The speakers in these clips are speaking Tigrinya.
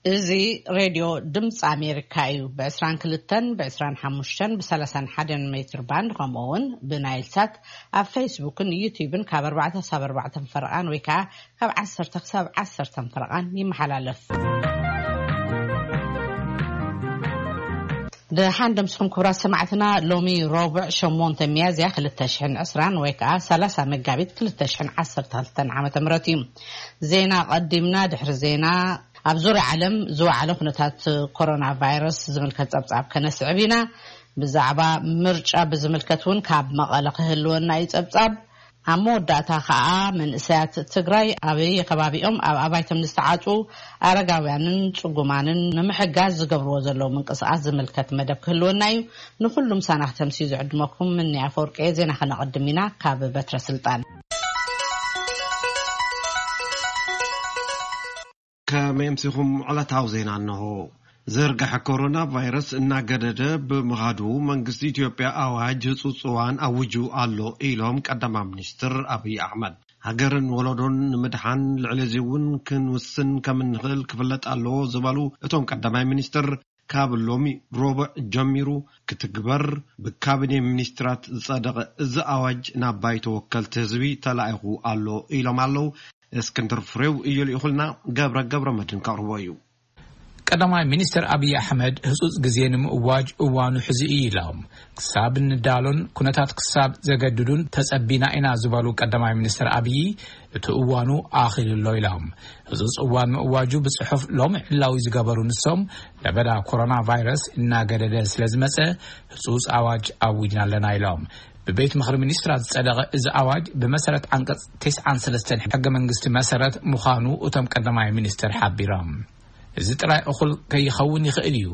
እዚ ሬድዮ ድምፂ ኣሜሪካ እዩ። ብ22፣ ብ25፣ ብ31 ሜትር ባንድ፣ ከምኡ እውን ብናይል ሳት፣ ኣብ ፌስቡክን ዩቲዩብን ካብ ኣርባዕተ ክሳብ ኣርባዕተ ፈረቓን ወይ ከዓ ካብ ዓሰርተ ክሳብ ዓሰርተ ፈረቓን ይመሓላለፍ። ደሓን ደምስኹም ክቡራት ሰማዕትና። ሎሚ ረቡዕ ሸሞንተ ሚያዝያ ክልተ ሽሕን ዕስራን ወይ ከዓ ሰላሳ መጋቢት ክልተ ሽሕን ዓሰርተ ክልተን ዓመተ ምህረት እዩ። ዜና ቀዲምና። ድሕሪ ዜና ኣብ ዙርያ ዓለም ዝወዓለ ኩነታት ኮሮና ቫይረስ ዝምልከት ጸብጻብ ከነስዕብ ኢና። ብዛዕባ ምርጫ ብዝምልከት እውን ካብ መቐለ ክህልወና እዩ ጸብጻብ። ኣብ መወዳእታ ከዓ መንእሰያት ትግራይ ኣበይ ከባቢኦም ኣብ ኣባይቶም ዝተዓፁ ኣረጋውያንን ጽጉማንን ንምሕጋዝ ዝገብርዎ ዘለዉ ምንቅስቃስ ዝምልከት መደብ ክህልወና እዩ። ንኹሉም ሳና ክተምስዩ ዝዕድመኩም ምንያ ኣፈወርቂ። ዜና ከነቐድም ኢና ካብ በትረ ስልጣን። ከመይ ኣምሲኹም? ዕለታዊ ዜና እንሆ። ዝርግሐ ኮሮና ቫይረስ እናገደደ ብምኻዱ መንግስቲ ኢትዮጵያ ኣዋጅ ህጹጽ እዋን ኣውጁ ኣሎ ኢሎም ቀዳማይ ሚኒስትር ኣብይ ኣሕመድ። ሃገርን ወለዶን ንምድሓን ልዕሊ እዚ እውን ክንውስን ከም እንኽእል ክፍለጥ ኣለዎ ዝበሉ እቶም ቀዳማይ ሚኒስትር፣ ካብ ሎሚ ረቡዕ ጀሚሩ ክትግበር ብካቢኔ ሚኒስትራት ዝጸደቐ እዚ ኣዋጅ ናብ ባይቶ ወከልቲ ህዝቢ ተላኢኹ ኣሎ ኢሎም ኣለዉ። እስክንድር ፍሬው እዩ ልኢኹልና፣ ገብረ ገብረ መድህን ከቕርቦ እዩ። ቀዳማይ ሚኒስትር ኣብይ ኣሕመድ ህጹጽ ግዜ ንምእዋጅ እዋኑ ሕዚ እዩ ኢሎም። ክሳብ እንዳሎን ኩነታት ክሳብ ዘገድዱን ተጸቢና ኢና ዝበሉ ቀዳማይ ሚኒስትር ኣብይ፣ እቲ እዋኑ ኣኺሉ ኣሎ ኢሎም። ህጹጽ እዋን ምእዋጁ ብጽሑፍ ሎም ዕላዊ ዝገበሩ ንሶም፣ ለበዳ ኮሮና ቫይረስ እናገደደ ስለ ዝመጸ ህጹጽ ኣዋጅ ኣዊጅና ኣለና ኢሎም። ብቤት ምኽሪ ሚኒስትራት ዝጸደቐ እዚ ኣዋጅ ብመሰረት ዓንቀጽ ተስዓን ሰለስተን ሕገ መንግስቲ መሰረት ምዃኑ እቶም ቀዳማይ ሚኒስትር ሓቢሮም። እዚ ጥራይ እኹል ከይኸውን ይኽእል እዩ።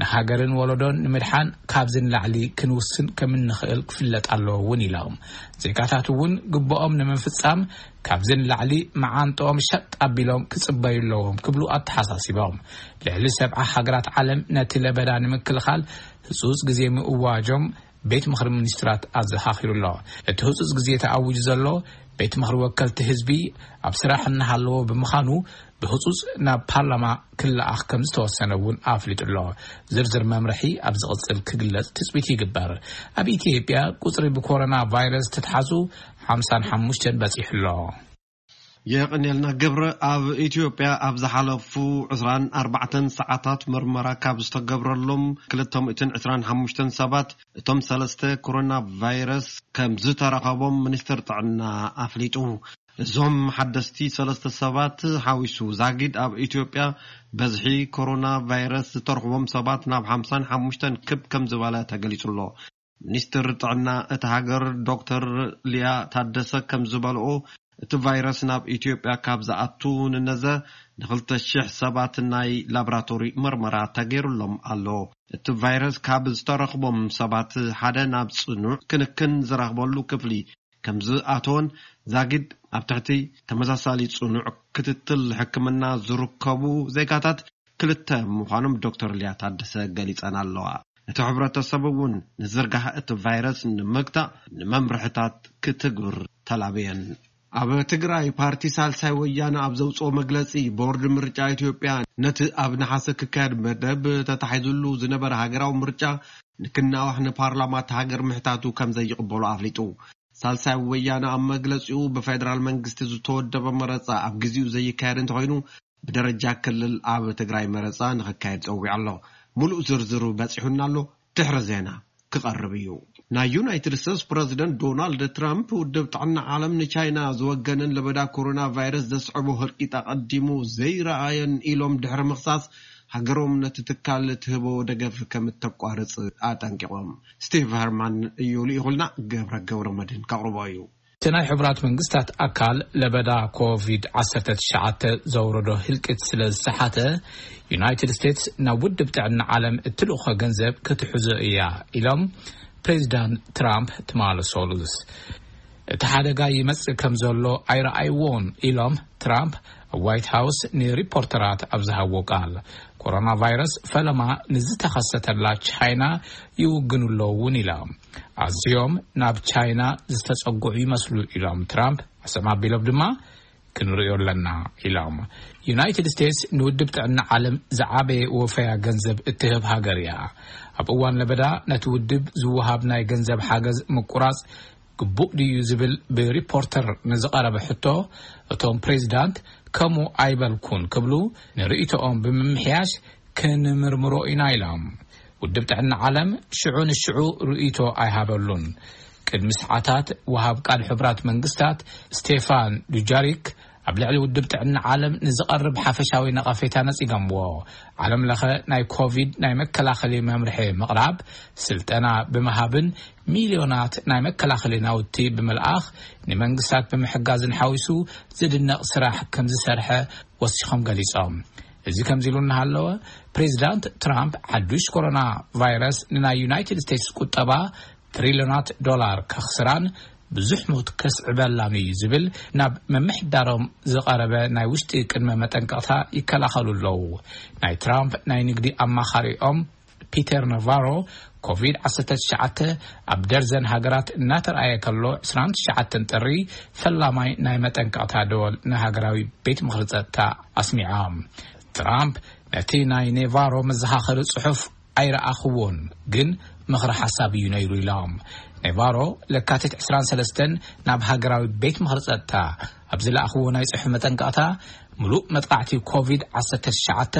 ንሃገርን ወለዶን ንምድሓን ካብዚ ንላዕሊ ክንውስን ከም እንኽእል ክፍለጥ ኣለዎ እውን ኢሎም። ዜጋታት እውን ግብኦም ንምፍጻም ካብዚ ንላዕሊ መዓንጥኦም ሸጥ ኣቢሎም ክጽበዩ ኣለዎም ክብሉ ኣተሓሳሲቦም። ልዕሊ ሰብዓ ሃገራት ዓለም ነቲ ለበዳ ንምክልኻል ህጹጽ ግዜ ምእዋጆም ቤት ምኽሪ ሚኒስትራት ኣዘኻኺሩ ኣሎ። እቲ ህጹጽ ግዜ ተኣዊጁ ዘሎ ቤት ምኽሪ ወከልቲ ህዝቢ ኣብ ስራሕ እናሃለዎ ብምዃኑ ብህጹጽ ናብ ፓርላማ ክለኣኽ ከም ዝተወሰነ እውን ኣፍሊጡ ኣሎ። ዝርዝር መምርሒ ኣብ ዝቕጽል ክግለጽ ትጽቢት ይግበር። ኣብ ኢትዮጵያ ቁጽሪ ብኮሮና ቫይረስ ተተሓዙ ሓምሳን ሓሙሽተን በጺሑ ኣሎ። የቐንየልና ገብረ። ኣብ ኢትዮጵያ ኣብ ዝሓለፉ ዕስራን ኣርባዕተን ሰዓታት መርመራ ካብ ዝተገብረሎም ክልተ ሚእትን ዕስራን ሓሙሽተን ሰባት፣ እቶም ሰለስተ ኮሮና ቫይረስ ከም ዝተረኸቦም ሚኒስትር ጥዕና ኣፍሊጡ። እዞም ሓደስቲ ሰለስተ ሰባት ሓዊሱ ዛጊድ ኣብ ኢትዮጵያ በዝሒ ኮሮና ቫይረስ ዝተረኽቦም ሰባት ናብ ሓምሳን ሓሙሽተን ክብ ከም ዝበለ ተገሊጹ ኣሎ። ሚኒስትር ጥዕና እታ ሃገር ዶክተር ሊያ ታደሰ ከም ዝበልኦ፣ እቲ ቫይረስ ናብ ኢትዮጵያ ካብ ዝኣቱ ንነዘ ንክልተ ሽሕ ሰባት ናይ ላብራቶሪ መርመራ ተገይሩሎም ኣሎ። እቲ ቫይረስ ካብ ዝተረኽቦም ሰባት ሓደ ናብ ጽኑዕ ክንክን ዝረኽበሉ ክፍሊ ከም ዝኣተወን ዛጊድ ኣብ ትሕቲ ተመሳሳሊ ጽኑዕ ክትትል ሕክምና ዝርከቡ ዜጋታት ክልተ ምዃኖም ዶክተር ሊያ ታደሰ ገሊጸን ኣለዋ። እቲ ሕብረተሰብ እውን ንዝርጋሕ እቲ ቫይረስ ንምግታእ ንመምርሕታት ክትግብር ተላብየን። ኣብ ትግራይ ፓርቲ ሳልሳይ ወያነ ኣብ ዘውፅኦ መግለፂ፣ ቦርድ ምርጫ ኢትዮጵያ ነቲ ኣብ ነሓሰ ክካየድ መደብ ተታሒዙሉ ዝነበረ ሃገራዊ ምርጫ ንክናዋሕ ንፓርላማ እቲ ሃገር ምሕታቱ ከም ዘይቕበሎ ኣፍሊጡ። ሳልሳይ ወያነ ኣብ መግለፂኡ፣ ብፌደራል መንግስቲ ዝተወደበ መረፃ ኣብ ግዜኡ ዘይካየድ እንተኾይኑ፣ ብደረጃ ክልል ኣብ ትግራይ መረፃ ንኽካየድ ፀዊዑ ኣሎ። ሙሉእ ዝርዝሩ በፂሑና ኣሎ፣ ድሕሪ ዜና ክቐርብ እዩ። ናይ ዩናይትድ ስቴትስ ፕረዚደንት ዶናልድ ትራምፕ፣ ውድብ ጥዕና ዓለም ንቻይና ዝወገነን ለበዳ ኮሮና ቫይረስ ዘስዕቦ ህልቂት ኣቐዲሙ ዘይረኣየን ኢሎም ድሕሪ ምኽሳስ፣ ሃገሮም ነቲ ትካል ትህቦ ደገፍ ከም እተቋርጽ ኣጠንቂቖም። ስቲቭ ሀርማን እዩ ልኢኹልና፣ ገብረ ገብረ መድህን ከቕርቦ እዩ። እቲ ናይ ሕቡራት መንግስታት ኣካል ለበዳ ኮቪድ ዓሰርተ ትሽዓተ ዘውረዶ ህልቂት ስለ ዝሰሓተ፣ ዩናይትድ ስቴትስ ናብ ውድብ ጥዕና ዓለም እትልእኾ ገንዘብ ክትሕዞ እያ ኢሎም ፕሬዚዳንት ትራምፕ ትማሊ ሰሉስ። እቲ ሓደጋ ይመጽእ ከም ዘሎ ኣይረኣይዎን ኢሎም ትራምፕ ኣብ ዋይት ሃውስ ንሪፖርተራት ኣብ ዝሃብዎ ቃል። ኮሮና ቫይረስ ፈለማ ንዝተኸሰተላ ቻይና ይውግኑ ኣለዉ እውን ኢሎም። ኣዝዮም ናብ ቻይና ዝተጸግዑ ይመስሉ ኢሎም ትራምፕ። ኣሰማ ኣቢሎም ድማ ክንርእዮ ኣለና ኢሎም። ዩናይትድ ስቴትስ ንውድብ ጥዕና ዓለም ዝዓበየ ወፈያ ገንዘብ እትህብ ሃገር እያ። ኣብ እዋን ለበዳ ነቲ ውድብ ዝወሃብ ናይ ገንዘብ ሓገዝ ምቁራጽ ግቡእ ድዩ ዝብል ብሪፖርተር ንዝቐረበ ሕቶ፣ እቶም ፕሬዚዳንት ከምኡ ኣይበልኩን ክብሉ ንርእይቶኦም ብምምሕያሽ ክንምርምሮ ኢና ኢሎም። ውድብ ጥዕና ዓለም ሽዑ ንሽዑ ርእይቶ ኣይሃበሉን። ቅድሚ ሰዓታት ወሃብ ቃል ሕቡራት መንግስታት ስቴፋን ዱጃሪክ ኣብ ልዕሊ ውድብ ጥዕና ዓለም ንዝቐርብ ሓፈሻዊ ነቐፌታ ነጺጎምዎ። ዓለም ለኸ ናይ ኮቪድ ናይ መከላኸሊ መምርሒ ምቕራብ፣ ስልጠና ብምሃብን ሚልዮናት ናይ መከላኸሊ ናውቲ ብምልኣኽ ንመንግስታት ብምሕጋዝን ሓዊሱ ዝድነቕ ስራሕ ከም ዝሰርሐ ወሲኾም ገሊጾም። እዚ ከምዚ ኢሉ እናሃለወ፣ ፕሬዚዳንት ትራምፕ ሓዱሽ ኮሮና ቫይረስ ንናይ ዩናይትድ ስቴትስ ቁጠባ ትሪልዮናት ዶላር ከኽስራን ብዙሕ ሞት ከስዕበላን እዩ ዝብል ናብ ምምሕዳሮም ዝቐረበ ናይ ውሽጢ ቅድመ መጠንቀቕታ ይከላኸሉ ኣለዉ። ናይ ትራምፕ ናይ ንግዲ ኣማኻሪኦም ፒተር ናቫሮ፣ ኮቪድ ዓሰርተ ትሽዓተ ኣብ ደርዘን ሃገራት እናተረኣየ ከሎ፣ ዕስራን ትሽዓተን ጥሪ ፈላማይ ናይ መጠንቀቕታ ደወል ንሃገራዊ ቤት ምኽሪ ጸጥታ ኣስሚዖም። ትራምፕ ነቲ ናይ ኔቫሮ መዘኻኸሪ ጽሑፍ ኣይረኣኽዎን፣ ግን ምኽሪ ሓሳብ እዩ ነይሩ ኢሎም። ኔቫሮ ለካቲት ዕስራን ሰለስተን ናብ ሃገራዊ ቤት ምኽሪ ጸጥታ ኣብ ዝለኣኽዎ ናይ ጽሑፍ መጠንቀቕታ፣ ምሉእ መጥቃዕቲ ኮቪድ ዓሰርተ ትሽዓተ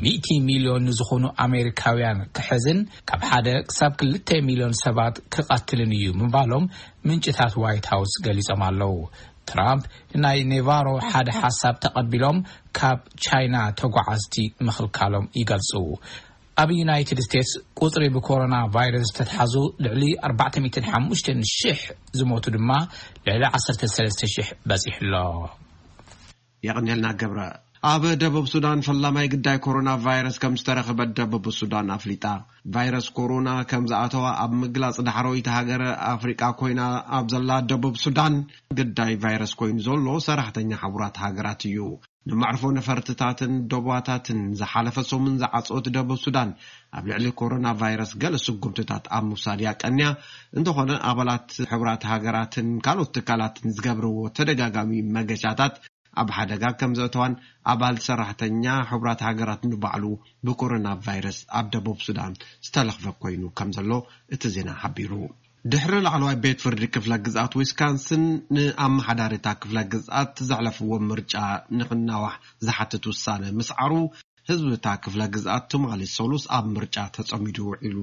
ሚእቲ ሚልዮን ንዝኾኑ ኣሜሪካውያን ክሕዝን ካብ ሓደ ክሳብ ክልተ ሚልዮን ሰባት ክቐትልን እዩ ምባሎም ምንጭታት ዋይት ሃውስ ገሊጾም ኣለዉ። ትራምፕ ንናይ ኔቫሮ ሓደ ሓሳብ ተቐቢሎም ካብ ቻይና ተጓዓዝቲ ምኽልካሎም ይገልጹ። ኣብ ዩናይትድ ስቴትስ ቁጽሪ ብኮሮና ቫይረስ ዝተትሓዙ ልዕሊ ኣርባዕተ ሚእትን ሓሙሽተን ሽሕ ዝሞቱ ድማ ልዕሊ ዓሰርተ ሰለስተ ሽሕ በጺሑ ኣሎ። የቐንየልና ገብረ። ኣብ ደቡብ ሱዳን ፈላማይ ግዳይ ኮሮና ቫይረስ ከም ዝተረኽበ ደቡብ ሱዳን ኣፍሊጣ። ቫይረስ ኮሮና ከም ዝኣተዋ ኣብ ምግላጽ ዳሕረወይቲ ሃገር ኣፍሪቃ ኮይና ኣብ ዘላ ደቡብ ሱዳን፣ ግዳይ ቫይረስ ኮይኑ ዘሎ ሰራሕተኛ ሕቡራት ሃገራት እዩ። ንመዕርፎ ነፈርትታትን ዶባታትን ዝሓለፈ ሰሙን ዝዓጸወት ደቡብ ሱዳን፣ ኣብ ልዕሊ ኮሮና ቫይረስ ገለ ስጉምትታት ኣብ ምውሳድ እያ ቀንያ። እንተኾነ፣ ኣባላት ሕቡራት ሃገራትን ካልኦት ትካላትን ዝገብርዎ ተደጋጋሚ መገሻታት ኣብ ሓደጋ ከም ዘእተዋን ኣባል ሰራሕተኛ ሕቡራት ሃገራት ንባዕሉ ብኮሮና ቫይረስ ኣብ ደቡብ ሱዳን ዝተለኽፈ ኮይኑ ከም ዘሎ እቲ ዜና ሓቢሩ። ድሕሪ ላዕለዋይ ቤት ፍርዲ ክፍለ ግዝኣት ዊስካንስን ንኣመሓዳሪታ ክፍለ ግዝኣት ዘሕለፍዎ ምርጫ ንኽናዋሕ ዝሓትት ውሳነ ምስዓሩ፣ ህዝቢ እታ ክፍለ ግዝኣት ትማሊ ሰሉስ ኣብ ምርጫ ተጸሚዱ ውዒሉ።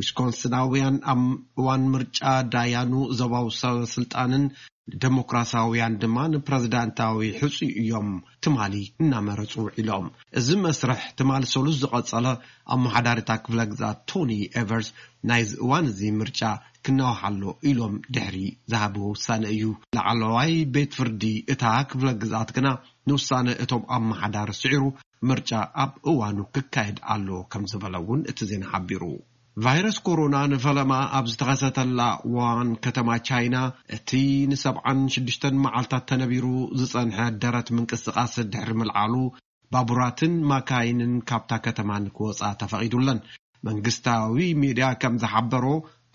ዊስኮንስናውያን ኣብ እዋን ምርጫ ዳያኑ ዞባዊ ሰበ ስልጣንን ንደሞክራሲያውያን ድማ ንፕረዚዳንታዊ ሕጹይ እዮም ትማሊ እናመረጹ ውዒሎም። እዚ መስርሕ ትማሊ ሰሉስ ዝቐጸለ ኣመሓዳሪታ ክፍለ ግዝኣት ቶኒ ኤቨርስ ናይዚ እዋን እዚ ምርጫ ክናዋሕ ኣሎ ኢሎም ድሕሪ ዝሃብዎ ውሳነ እዩ። ላዕለዋይ ቤት ፍርዲ እታ ክፍለ ግዝኣት ግና ንውሳነ እቶም ኣመሓዳሪ ስዒሩ ምርጫ ኣብ እዋኑ ክካየድ ኣሎ ከም ዝበለ እውን እቲ ዜና ሓቢሩ። ቫይረስ ኮሮና ንፈለማ ኣብ ዝተኸሰተላ ዋን ከተማ ቻይና፣ እቲ ንሰብዓን ሽዱሽተን መዓልታት ተነቢሩ ዝጸንሐ ደረት ምንቅስቓስ ድሕሪ ምልዓሉ፣ ባቡራትን ማካይንን ካብታ ከተማ ንክወጻ ተፈቒዱለን። መንግስታዊ ሚድያ ከም ዝሓበሮ፣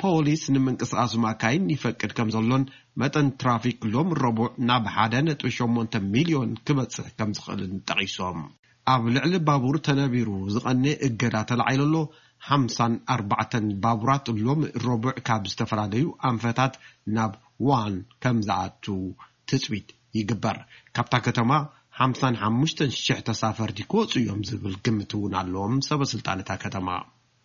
ፖሊስ ንምንቅስቓስ ማካይን ይፈቅድ ከም ዘሎን መጠን ትራፊክ ሎም ረቡዕ ናብ ሓደ ነጥቢ ሸሞንተ ሚልዮን ክበጽሕ ከም ዝኽእልን ጠቒሶም። ኣብ ልዕሊ ባቡር ተነቢሩ ዝቐነ እገዳ ተላዒሉ ኣሎ። ሓምሳን ኣርባዕተን ባቡራት ሎም ረቡዕ ካብ ዝተፈላለዩ ኣንፈታት ናብ ዋን ከም ዝኣቱ ትጽቢት ይግበር። ካብታ ከተማ ሓምሳን ሓሙሽተን ሽሕ ተሳፈርቲ ክወጹ እዮም ዝብል ግምት እውን ኣለዎም ሰበ ስልጣን እታ ከተማ።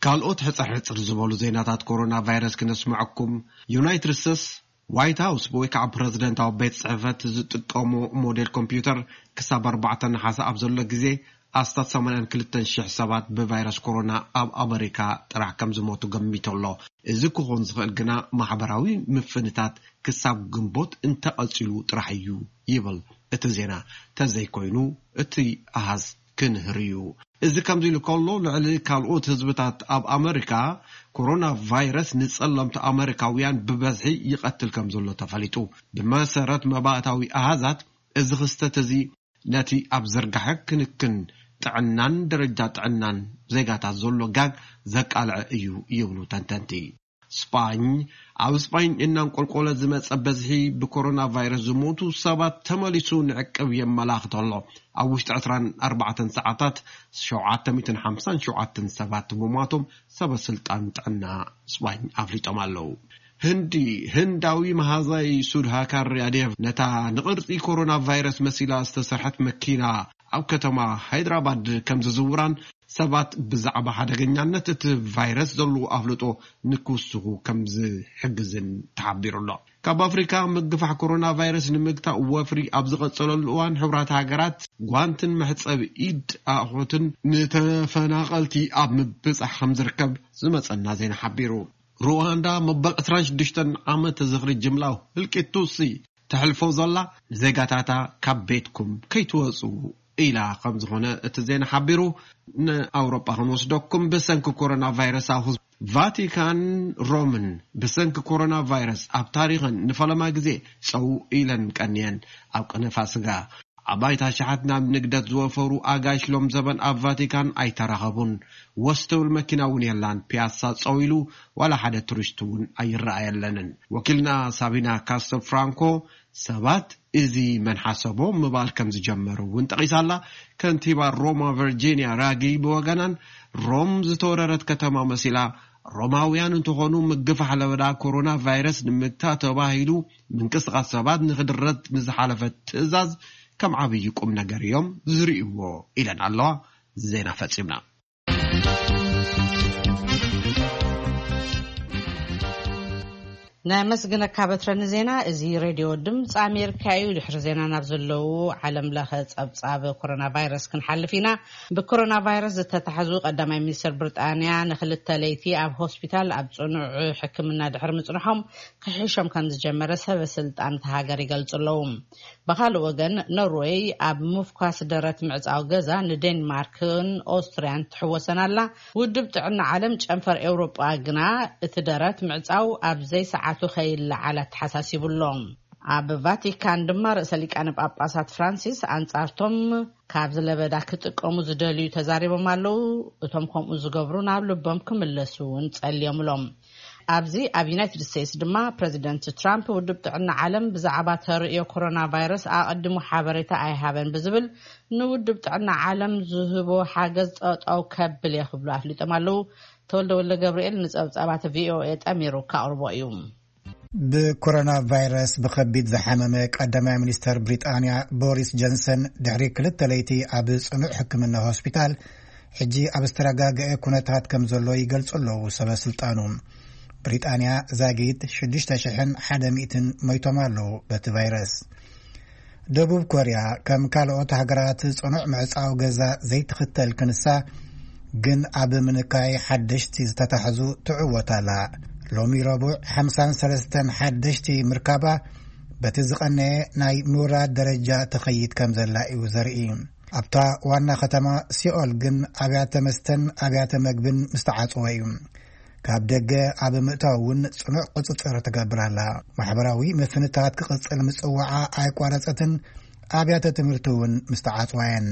ካልኦት ሕጽር ሕጽር ዝበሉ ዜናታት ኮሮና ቫይረስ ክነስምዐኩም። ዩናይትድ ስቴትስ ዋይት ሃውስ ወይ ከዓ ፕረዚደንታዊ ቤት ጽሕፈት ዝጥቀሞ ሞዴል ኮምፒውተር ክሳብ ኣርባዕተ ነሓሰ ኣብ ዘሎ ግዜ ኣስታት ሰማንያን ክልተን ሽሕ ሰባት ብቫይረስ ኮሮና ኣብ ኣመሪካ ጥራሕ ከም ዝሞቱ ገሚቱ ኣሎ። እዚ ክኾን ዝኽእል ግና ማሕበራዊ ምፍንታት ክሳብ ግንቦት እንተቐጺሉ ጥራሕ እዩ ይብል እቲ ዜና። ተዘይኮይኑ እቲ ኣሃዝ ክንህር እዩ። እዚ ከምዚ ኢሉ ከሎ፣ ልዕሊ ካልኦት ህዝብታት ኣብ ኣመሪካ፣ ኮሮና ቫይረስ ንጸለምቲ ኣመሪካውያን ብበዝሒ ይቐትል ከም ዘሎ ተፈሊጡ። ብመሰረት መባእታዊ ኣሃዛት፣ እዚ ክስተት እዚ ነቲ ኣብ ዝርጋሐ ክንክን ጥዕናን ደረጃ ጥዕናን ዜጋታት ዘሎ ጋግ ዘቃልዐ እዩ ይብሉ ተንተንቲ። ስጳኝ። ኣብ ስጳኝ እናንቆልቆለ ዝመጸ በዝሒ ብኮሮና ቫይረስ ዝሞቱ ሰባት ተመሊሱ ንዕቅብ የመላኽት ኣሎ። ኣብ ውሽጢ ዕስራን ኣርባዕተን ሰዓታት ሸውዓተ ሚእትን ሓምሳን ሸውዓተን ሰባት ምሟቶም ሰበ ስልጣን ጥዕና ስጳኝ ኣፍሊጦም ኣለዉ። ህንዲ፣ ህንዳዊ መሃዛይ ሱድሃካር ያዴቭ ነታ ንቕርጺ ኮሮና ቫይረስ መሲላ ዝተሰርሐት መኪና ኣብ ከተማ ሃይድራባድ ከም ዝዝውራን ሰባት ብዛዕባ ሓደገኛነት እቲ ቫይረስ ዘለዉ ኣፍልጦ ንክውስኹ ከም ዝሕግዝን ተሓቢሩ ኣሎ። ካብ ኣፍሪካ ምግፋሕ ኮሮና ቫይረስ ንምግታእ ወፍሪ ኣብ ዝቐጸለሉ እዋን፣ ሕቡራት ሃገራት ጓንትን መሕጸቢ ኢድ ኣቑሑትን ንተፈናቐልቲ ኣብ ምብጻሕ ከም ዝርከብ ዝመጸና ዜና ሓቢሩ። ሩዋንዳ መበል ዕስራን ሽዱሽተን ዓመት ዝኽሪ ጅምላዊ ህልቂት ቱትሲ ተሕልፎ ዘላ፣ ንዜጋታታ ካብ ቤትኩም ከይትወጹ ኢላ ከም ዝኾነ እቲ ዜና ሓቢሩ። ንኣውሮጳ ክንወስደኩም፣ ብሰንኪ ኮሮና ቫይረስ ኣብ ህዝቢ ቫቲካን ሮምን ብሰንኪ ኮሮና ቫይረስ ኣብ ታሪኽን ንፈለማ ግዜ ጸው ኢለን ቀንየን። ኣብ ቅነ ፋስጋ ኣባይቲ ኣሽሓት ናብ ንግደት ዝወፈሩ ኣጋይሽ ሎም ዘበን ኣብ ቫቲካን ኣይተራኸቡን። ወስ ትብል መኪና እውን የላን። ፒያሳ ጸው ኢሉ፣ ዋላ ሓደ ቱሪስት እውን ኣይረኣየለንን። ወኪልና ሳቢና ካስቶ ፍራንኮ ሰባት እዚ መን ሓሰቦ ምባል ከም ዝጀመሩ እውን ጠቒሳላ። ከንቲባ ሮማ ቨርጂኒያ ራጊ ብወገናን፣ ሮም ዝተወረረት ከተማ መሲላ፣ ሮማውያን እንተኾኑ ምግፋሕ ለበዳ ኮሮና ቫይረስ ንምግታእ ተባሂሉ ምንቅስቓስ ሰባት ንክድረት ንዝሓለፈ ትእዛዝ ከም ዓብዪ ቁም ነገር እዮም ዝርእይዎ ኢለን ኣለዋ። ዜና ፈጺምና። ነመስግነካ በትረ ንዜና። እዚ ሬድዮ ድምፂ ኣሜሪካ እዩ። ድሕሪ ዜና ናብ ዘለዉ ዓለም ለኸ ፀብፃብ ኮሮና ቫይረስ ክንሓልፍ ኢና። ብኮሮና ቫይረስ ዝተታሕዙ ቀዳማይ ሚኒስትር ብሪጣንያ ንክልተ ለይቲ ኣብ ሆስፒታል ኣብ ፅኑዕ ሕክምና ድሕሪ ምፅንሖም ክሕሾም ከም ዝጀመረ ሰበ ስልጣን እታ ሃገር ይገልፁ ኣለዉ። ብኻልእ ወገን፣ ኖርወይ ኣብ ምፍኳስ ደረት ምዕጻው ገዛ ንዴንማርክን ኦስትርያን ትሕወሰን ኣላ። ውድብ ጥዕና ዓለም ጨንፈር ኤውሮጳ ግና እቲ ደረት ምዕጻው ኣብ ዘይሰዓቱ ከይለዓል ኣተሓሳሲቡ ኣሎ። ኣብ ቫቲካን ድማ ርእሰ ሊቃነ ጳጳሳት ፍራንሲስ ኣንጻርቶም ካብዚ ለበዳ ክጥቀሙ ዝደልዩ ተዛሪቦም ኣለዉ። እቶም ከምኡ ዝገብሩ ናብ ልቦም ክምለሱ እውን ጸልዮም እሎም። ኣብዚ ኣብ ዩናይትድ ስቴትስ ድማ ፕረዚደንት ትራምፕ ውድብ ጥዕና ዓለም ብዛዕባ ተርእዮ ኮሮና ቫይረስ ኣቐዲሙ ሓበሬታ ኣይሃበን ብዝብል ንውድብ ጥዕና ዓለም ዝህቦ ሓገዝ ጠጠው ከብል እየ ክብሉ ኣፍሊጦም ኣለዉ። ተወልደ ወልደ ገብርኤል ንጸብጻባት ቪኦኤ ጠሚሩ ከቕርቦ እዩ። ብኮሮና ቫይረስ ብኸቢድ ዝሓመመ ቀዳማይ ሚኒስተር ብሪጣንያ ቦሪስ ጆንሰን ድሕሪ ክልተ ለይቲ ኣብ ጽኑዕ ሕክምና ሆስፒታል ሕጂ ኣብ ዝተረጋገአ ኩነታት ከም ዘሎ ይገልጹ ኣለዉ ሰበ ስልጣኑ። ብሪጣንያ ዛጊት ሽዱሽተ ሽሕን ሓደ ሚእትን ሞይቶም ኣለዉ በቲ ቫይረስ። ደቡብ ኮርያ ከም ካልኦት ሃገራት ጽኑዕ ምዕጻው ገዛ ዘይትኽተል ክንሳ ግን ኣብ ምንካይ ሓደሽቲ ዝተታሕዙ ትዕወት ኣላ። ሎሚ ረቡዕ ሓምሳን ሰለስተን ሓደሽቲ ምርካባ በቲ ዝቐነየ ናይ ምውራድ ደረጃ ትኸይድ ከም ዘላ እዩ ዘርኢ። ኣብታ ዋና ከተማ ሲኦል ግን ኣብያተ መስተን ኣብያተ መግብን ምስተዓጽወ እዩ። ካብ ደገ ኣብ ምእታው እውን ጽኑዕ ቁጽጽር ትገብር ኣላ። ማሕበራዊ ምፍንታት ክቕጽል ምጽዋዓ ኣይቋረጸትን። ኣብያተ ትምህርቲ እውን ምስተዓጽዋ እየን።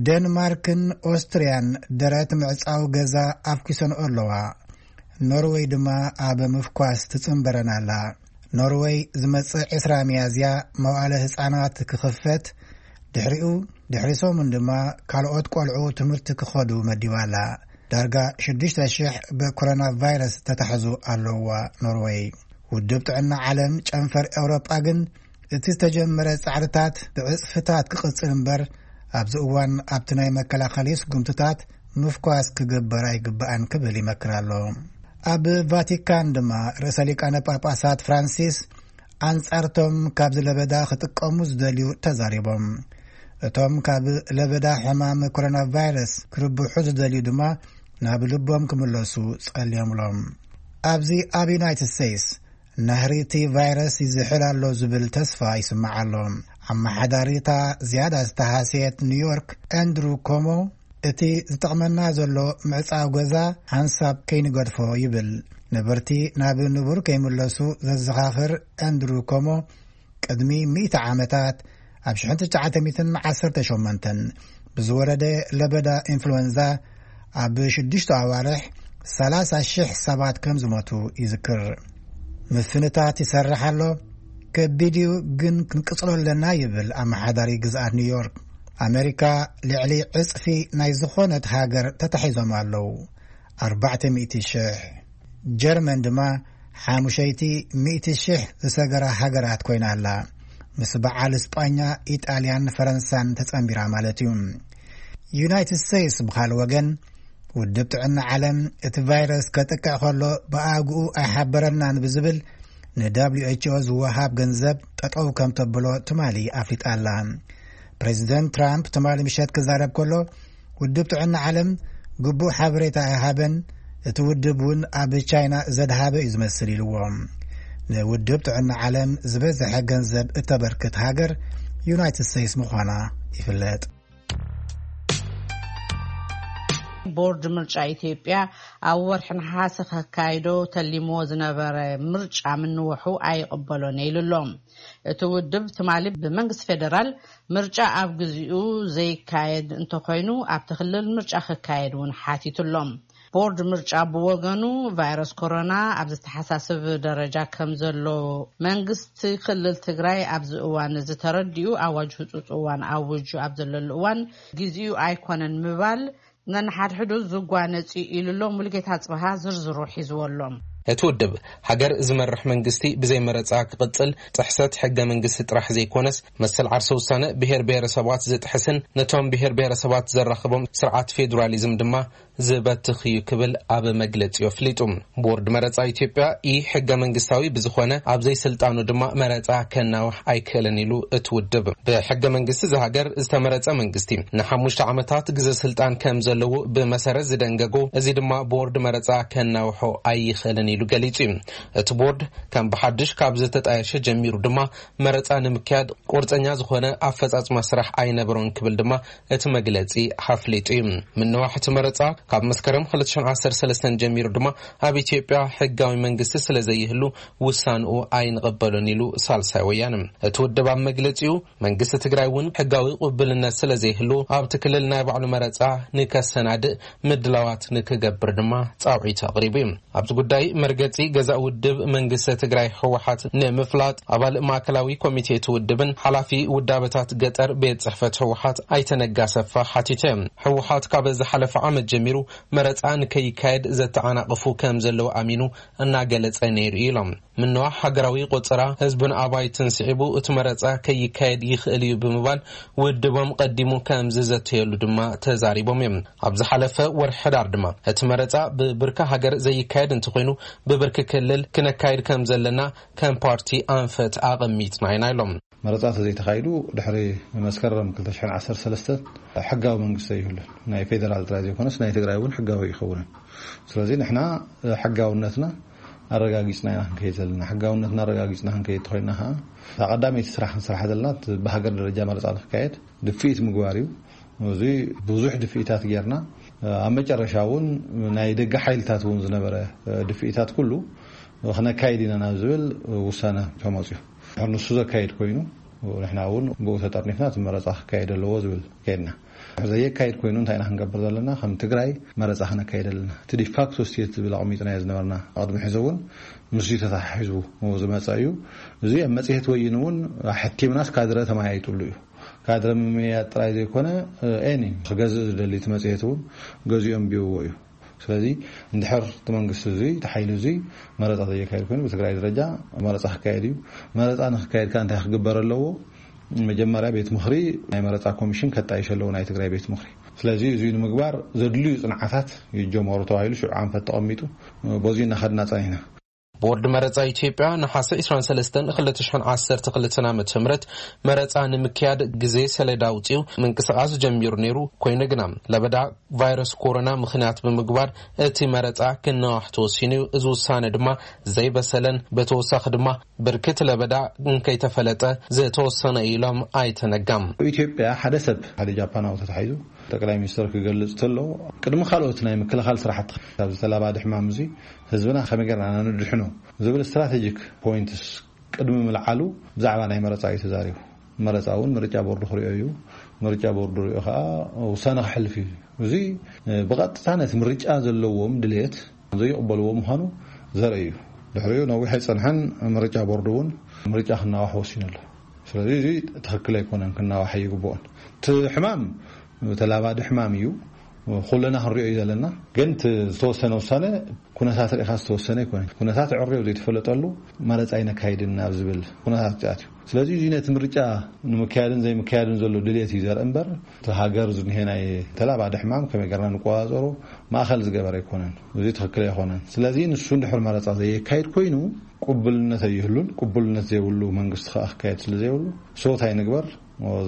ደንማርክን ኦስትርያን ደረት ምዕጻው ገዛ ኣፍኪሰንኦ ኣለዋ። ኖርወይ ድማ ኣብ ምፍኳስ ትጽንበረን ኣላ። ኖርወይ ዝመጽእ ዕስራ ሚያዝያ መዋእለ ህጻናት ክኽፈት፣ ድሕሪኡ ድሕሪ ሰሙን ድማ ካልኦት ቆልዑ ትምህርቲ ክኸዱ መዲባ ኣላ። ዳርጋ ሽዱሽተ ሽሕ ብኮሮና ቫይረስ ተታሕዙ ኣለዋ ኖርወይ። ውድብ ጥዕና ዓለም ጨንፈር ኤውሮጳ ግን እቲ ዝተጀመረ ጻዕርታት ብዕጽፍታት ክቕጽል እምበር ኣብዚ እዋን ኣብቲ ናይ መከላኸሊ ስጉምትታት ምፍኳስ ክግበር ኣይግባእን ክብል ይመክር ኣሎ። ኣብ ቫቲካን ድማ ርእሰ ሊቃነ ጳጳሳት ፍራንሲስ ኣንጻርቶም ካብዚ ለበዳ ክጥቀሙ ዝደልዩ ተዛሪቦም። እቶም ካብ ለበዳ ሕማም ኮሮና ቫይረስ ክርብሑ ዝደልዩ ድማ ናብ ልቦም ክምለሱ ጸልዮምሎም። ኣብዚ ኣብ ዩናይትድ ስቴትስ ናህሪ እቲ ቫይረስ ይዝሕል ኣሎ ዝብል ተስፋ ይስማዕ ኣሎ። ኣመሓዳሪታ ዝያዳ ዝተሃስየት ኒውዮርክ ኣንድሩ ኮሞ እቲ ዝጠቕመና ዘሎ ምዕጻው ገዛ ሓንሳብ ከይንገድፎ ይብል። ነበርቲ ናብ ንቡር ከይምለሱ ዘዘኻኽር ኣንድሩ ኮሞ ቅድሚ ሚእቲ ዓመታት ኣብ ሽሕን ትሽዓተ ሚእትን ዓሰርተ ሸሞንተን ብዝወረደ ለበዳ ኢንፍሉዌንዛ ኣብ ሽዱሽተ ኣዋርሕ ሰላሳ ሽሕ ሰባት ከም ዝሞቱ ይዝክር። ምፍንታት ይሰርሕ ኣሎ። ከቢድ እዩ፣ ግን ክንቅጽሎ ኣለና ይብል ኣመሓዳሪ ግዝኣት ኒውዮርክ። ኣመሪካ ልዕሊ ዕጽፊ ናይ ዝኾነት ሃገር ተታሒዞም ኣለዉ፣ ኣርባዕተ ሚእቲ ሽሕ። ጀርመን ድማ ሓሙሸይቲ ሚእቲ ሽሕ ዝሰገራ ሃገራት ኮይና ኣላ፣ ምስ በዓል እስጳኛ፣ ኢጣልያን ፈረንሳን ተጸንቢራ ማለት እዩ። ዩናይትድ ስቴትስ ብኻል ወገን፣ ውድብ ጥዕና ዓለም እቲ ቫይረስ ከጥቅዕ ከሎ ብኣግኡ ኣይሓበረናን ብዝብል ንደብሊው ኤች ኦ ዝወሃብ ገንዘብ ጠጠው ከም ተብሎ ትማሊ ኣፍሊጣ ኣላ። ፕሬዚደንት ትራምፕ ትማሊ ምሸት ክዛረብ ከሎ፣ ውድብ ጥዕና ዓለም ግቡእ ሓበሬታ ኣይሃበን፣ እቲ ውድብ እውን ኣብ ቻይና ዘድሃበ እዩ ዝመስል ኢልዎ። ንውድብ ጥዕና ዓለም ዝበዝሐ ገንዘብ እተበርክት ሃገር ዩናይትድ ስቴትስ ምዃና ይፍለጥ። ቦርድ ምርጫ ኢትዮጵያ ኣብ ወርሒ ነሓሰ ከካይዶ ተሊምዎ ዝነበረ ምርጫ ምንውሑ ኣይቕበሎን ኢሉ ኣሎ። እቲ ውድብ ትማሊ ብመንግስቲ ፌደራል ምርጫ ኣብ ግዚኡ ዘይካየድ እንተኾይኑ ኣብቲ ክልል ምርጫ ክካየድ እውን ሓቲቱ ኣሎ። ቦርድ ምርጫ ብወገኑ ቫይረስ ኮሮና ኣብ ዝተሓሳስብ ደረጃ ከም ዘሎ መንግስቲ ክልል ትግራይ ኣብዚ እዋን እዚ ተረዲኡ ኣዋጅ ህፁፅ እዋን ኣውጁ ኣብ ዘለሉ እዋን ግዚኡ ኣይኮነን ምባል ነንሓድሕዱ ዝጓነጽ እዩ ኢሉ ኣሎ። ሙሉጌታ ጽበሃ ዝርዝሩ ሒዝዎ ኣሎ። እቲ ውድብ፣ ሃገር ዝመርሕ መንግስቲ ብዘይ መረጻ ክቕጽል ጥሕሰት ሕገ መንግስቲ ጥራሕ ዘይኮነስ፣ መሰል ዓርሰ ውሳነ ብሄር ብሄረሰባት ዝጥሕስን ነቶም ብሄር ብሄረሰባት ዘራኽቦም ስርዓት ፌዴራሊዝም ድማ ዝበትኽ እዩ ክብል ኣብ መግለጺኡ ኣፍሊጡ። ቦርድ መረጻ ኢትዮጵያ ኢ ሕገ መንግስታዊ ብዝኾነ ኣብ ዘይስልጣኑ ድማ መረጻ ከናውሕ ኣይክእልን ኢሉ እቲ ውድብ። ብሕገ መንግስቲ እዛ ሃገር ዝተመረጸ መንግስቲ ንሓሙሽተ ዓመታት ግዘ ስልጣን ከም ዘለዎ ብመሰረት ዝደንገጎ፣ እዚ ድማ ቦርድ መረጻ ከናውሖ ኣይኽእልን ኢሉ ገሊጹ እዩ። እቲ ቦርድ ከም ብሓድሽ ካብ ዝተጣየሸ ጀሚሩ ድማ መረጻ ንምክያድ ቁርጸኛ ዝኾነ ኣፈጻጽማ ስራሕ ኣይነበሮን ክብል ድማ እቲ መግለጺ ሓፍሊጡ እዩ። ምንዋሕ እቲ መረጻ ካብ መስከረም ክልተ ሽሕን ዓሰርተ ሰለስተን ጀሚሩ ድማ ኣብ ኢትዮጵያ ሕጋዊ መንግስቲ ስለ ዘይህሉ ውሳንኡ ኣይንቕበሎን ኢሉ ሳልሳይ ወያነ። እቲ ውድብ ኣብ መግለጺኡ መንግስቲ ትግራይ እውን ሕጋዊ ቅቡልነት ስለ ዘይህሉ ኣብቲ ክልል ናይ ባዕሉ መረጻ ንከሰናድእ ምድላዋት ንክገብር ድማ ጻውዒት ኣቕሪቡ እዩ። ኣብዚ ጉዳይ መርገጺ ገዛእ ውድብ መንግስቲ ትግራይ ህወሓት ንምፍላጥ ኣባል ማእከላዊ ኮሚቴ እቲ ውድብን ሓላፊ ውዳበታት ገጠር ቤት ጽሕፈት ህወሓት ኣይተ ነጋ ሰፋ ሓቲተ። ህወሓት ካብ ዝሓለፈ ዓመት ጀሚሩ መረጻ ንከይካየድ ዘተዓናቕፉ ከም ዘለዉ ኣሚኑ እናገለጸ ነይሩ ኢሎም። ምንዋሕ ሃገራዊ ቆጸራ ህዝብን ኣባይትን ስዒቡ እቲ መረጻ ከይካየድ ይኽእል እዩ ብምባል ውድቦም ቀዲሙ ከም ዝዘተየሉ ድማ ተዛሪቦም እዮም። ኣብ ዝሓለፈ ወርሒ ሕዳር ድማ እቲ መረጻ ብብርኪ ሃገር ዘይካየድ እንተኾይኑ ብብርኪ ክልል ክነካይድ ከም ዘለና ከም ፓርቲ ኣንፈት ኣቐሚጥና ኢና ኢሎም። መረጻ ተዘይተኻይዱ ድሕሪ መስከረም ክልተ ሽሕን ዓሰርተ ሰለስተን ሕጋዊ መንግስቲ ኣይህሉን። ናይ ፌደራል ጥራይ ዘይኮነስ ናይ ትግራይ እውን ሕጋዊ ይኸውን። ስለዚ ንሕና ሕጋውነትና ኣረጋጊጽና ኢና ክንከይድ ዘለና። ሕጋውነትና ኣረጋጊጽና ክንከይድ ተኾይንና ከዓ እታ ቀዳመይቲ ስራሕ ክንሰርሓ ዘለና እቲ ብሃገር ደረጃ መረጻ ንክካየድ ድፍኢት ምግባር እዩ። እዚ ብዙሕ ድፍኢታት ጌርና ኣብ መጨረሻ እውን ናይ ደገ ሓይልታት እውን ዝነበረ ድፍኢታት ኩሉ ክነካይድ ኢና ናብ ዝብል ውሳነ ተመፅዩ። ንሱ ዘካይድ ኮይኑ ንሕና እውን ብኡ ተጠርኒፍና እቲ መረፃ ክካየድ ኣለዎ ዝብል ከይድና። ዘየካይድ ኮይኑ እንታይ ኢና ክንገብር ዘለና? ከም ትግራይ መረፃ ክነካይድ ኣለና። እቲ ዲፋክቶ ስቴት ዝብል ኣቐሚጥናዮ ዝነበርና ቅድሚ ሕዚ እውን ምስዚ ተተሓሒዙ ዝመፀ እዩ። እዚ ኣብ መፅሄት ወይን እውን ሕቲምናስ ካድረ ተመያይጥሉ እዩ። ካድረ ምምያጥ ጥራይ ዘይኮነ ኤኒ ክገዝእ ዝደሊ እቲ መፅሄት እውን ገዚኦም ቢውዎ እዩ። ስለዚ እንድሕር እቲ መንግስቲ እዚ እቲ ሓይሊ እዚ መረፃ ዘየካየድ ኮይኑ ብትግራይ ደረጃ መረፃ ክካየድ እዩ። መረፃ ንክካየድ ከዓ እንታይ ክግበር ኣለዎ? መጀመርያ ቤት ምኽሪ ናይ መረፃ ኮሚሽን ከጣይሽ ኣለዎ ናይ ትግራይ ቤት ምኽሪ። ስለዚ እዚ ንምግባር ዘድልዩ ፅንዓታት ይጀመሩ ተባሂሉ ሽዑ ኣንፈት ተቐሚጡ በዚ እናኸድና ፀኒሕና። ቦርድ መረፃ ኢትዮጵያ ነሓሰ ዕስራን ሰለስተን ክልተ ሽሕን ዓሰርተ ክልተን ዓመተ ምህረት መረፃ ንምክያድ ግዜ ሰሌዳ ኣውፂኡ ምንቅስቃስ ጀሚሩ ነይሩ። ኮይኑ ግና ለበዳ ቫይረስ ኮሮና ምኽንያት ብምግባር እቲ መረፃ ክነዋሕ ተወሲኑ እዩ። እዚ ውሳነ ድማ ዘይበሰለን ብተወሳኺ ድማ ብርክት ለበዳ እንከይተፈለጠ ዝተወሰነ ኢሎም ኣይተ ነጋም። ኢትዮጵያ ሓደ ሰብ ሓደ ጃፓናዊ ተታሒዙ ጠቅላይ ሚኒስትር ክገልጽ ተሎ ቅድሚ ካልኦት ናይ ምክልኻል ስራሕቲ ካብ ዝተላባደ ሕማም እዚ ህዝብና ከመይ ጌርና ነድሕኖ ዝብል ስትራቴጂክ ፖይንትስ ቅድሚ ምልዓሉ ብዛዕባ ናይ መረፃ እዩ ተዛሪቡ። መረፃ እውን ምርጫ ቦርዱ ክሪኦ እዩ። ምርጫ ቦርዱ ሪኦ ከዓ ውሳነ ክሕልፍ እዩ። እዚ ብቐጥታ ነቲ ምርጫ ዘለዎም ድሌት ዘይቕበልዎ ምዃኑ ዘርኢ እዩ። ድሕሪኡ ነዊሕ ኣይፀንሐን፣ ምርጫ ቦርዱ እውን ምርጫ ክናዋሕ ወሲኑ ኣሎ። ስለዚ እዚ ትኽክል ኣይኮነን፣ ክናዋሕ ኣይግብኦን። እቲ ሕማም ተላባዲ ሕማም እዩ። ኩለና ክንሪኦ እዩ ዘለና። ግን እቲ ዝተወሰነ ውሳነ ኩነታት ርኢኻ ዝተወሰነ ኣይኮነን። ኩነታት ዕርዮ ዘይተፈለጠሉ መረፃ ኣይነካይድን ናብ ዝብል ኩነታት ኣትዩ። ስለዚ እዚ ነቲ ምርጫ ንምክያድን ዘይምክያድን ዘሎ ድልየት እዩ ዘርኢ እምበር፣ እቲ ሃገር ዝንሄ ናይ ተላባዲ ሕማም ከመይ ገርና ንቆፃፀሮ ማእኸል ዝገበረ ኣይኮነን። እዚ ትኽክል ኣይኮነን። ስለዚ ንሱ እንድሕር መረፃ ዘየካይድ ኮይኑ ቅቡልነት ኣይህሉን። ቅቡልነት ዘይብሉ መንግስቲ ከዓ ክካየድ ስለ ዘይብሉ ሶት ኣይንግበር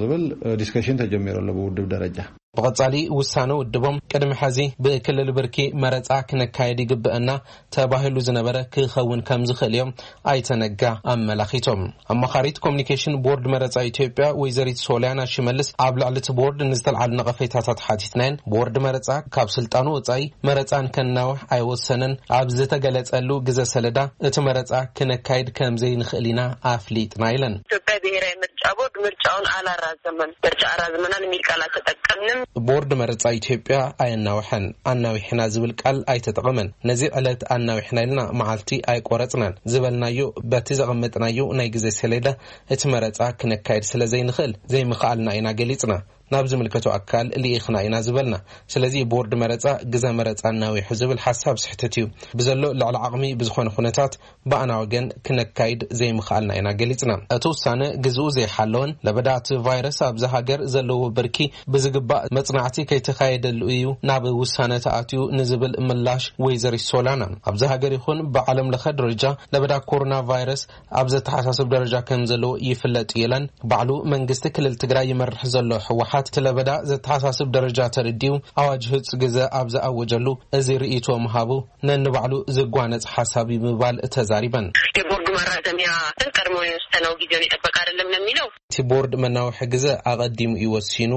ዝብል ዲስከሽን ተጀሚሩ ኣሎ ብውድብ ደረጃ። ብቐጻሊ ውሳነ ውድቦም ቅድሚ ሕዚ ብክልል ብርኪ መረጻ ክነካየድ ይግብአና ተባሂሉ ዝነበረ ክኸውን ከም ዝኽእል እዮም ኣይተ ነጋ ኣመላኺቶም። ኣማኻሪት ኮሚኒኬሽን ቦርድ መረጻ ኢትዮጵያ ወይዘሪት ሶሊያና ሽመልስ ኣብ ልዕሊ እቲ ቦርድ ንዝተልዓሉ ነቐፌታታት ሓቲትናየን። ቦርድ መረጻ ካብ ስልጣኑ ወጻኢ መረጻን ከናውሕ ኣይወሰነን። ኣብ ዝተገለጸሉ ግዘ ሰለዳ እቲ መረጻ ክነካይድ ከም ዘይንኽእል ኢና ኣፍሊጥና ኢለን። ኢትዮጵያ ብሔራዊ ምርጫ ቦርድ ምርጫውን አላራዘመም፣ ምርጫ አራዝመናል የሚል ቃል አልተጠቀምንም። ቦርድ መረጻ ኢትዮጵያ ኣየናውሐን፣ ኣናዊሕና ዝብል ቃል ኣይተጠቐመን። ነዚ ዕለት ኣናዊሕና ኢልና መዓልቲ ኣይቆረጽናን። ዝበልናዮ በቲ ዘቐመጥናዮ ናይ ግዜ ሰሌዳ እቲ መረጻ ክነካይድ ስለ ዘይንኽእል ዘይምኽኣልና ኢና ገሊጽና። ናብ ዝምልከቶ ኣካል ልኢኽና ኢና ዝበልና። ስለዚ ቦርድ መረጻ ግዘ መረጻ እናዊሑ ዝብል ሓሳብ ስሕተት እዩ። ብዘሎ ልዕሊ ዓቕሚ ብዝኾነ ኩነታት ብኣና ወገን ክነካይድ ዘይምኽኣልና ኢና ገሊጽና። እቲ ውሳነ ግዝኡ ዘይሓለወን ለበዳ እቲ ቫይረስ ኣብዚ ሃገር ዘለዎ ብርኪ ብዝግባእ መጽናዕቲ ከይተኻየደሉ እዩ ናብ ውሳነ ተኣትዩ ንዝብል ምላሽ ወይዘሪት ሶላና፣ ኣብዚ ሃገር ይኹን ብዓለም ለኸ ደረጃ ለበዳ ኮሮና ቫይረስ ኣብ ዘተሓሳስብ ደረጃ ከም ዘለዎ ይፍለጥ እዩ ኢለን። ባዕሉ መንግስቲ ክልል ትግራይ ይመርሕ ዘሎ ህወሓት እቲ ለበዳ ዘተሓሳስብ ደረጃ ተረዲኡ ኣዋጅ ህጹ ግዘ ኣብ ዝኣወጀሉ እዚ ርእይቶ ምሃቡ ነንባዕሉ ዝጓነጽ ሓሳብ እዩ ብምባል ተዛሪበን። የቦርዱ ማራዘሚያ ቀድሞ የወሰነው ጊዜውን የጠበቀ አይደለም ነው የሚለው። እቲ ቦርድ መናውሒ ግዘ ኣቐዲሙ እዩ ወሲኑ፣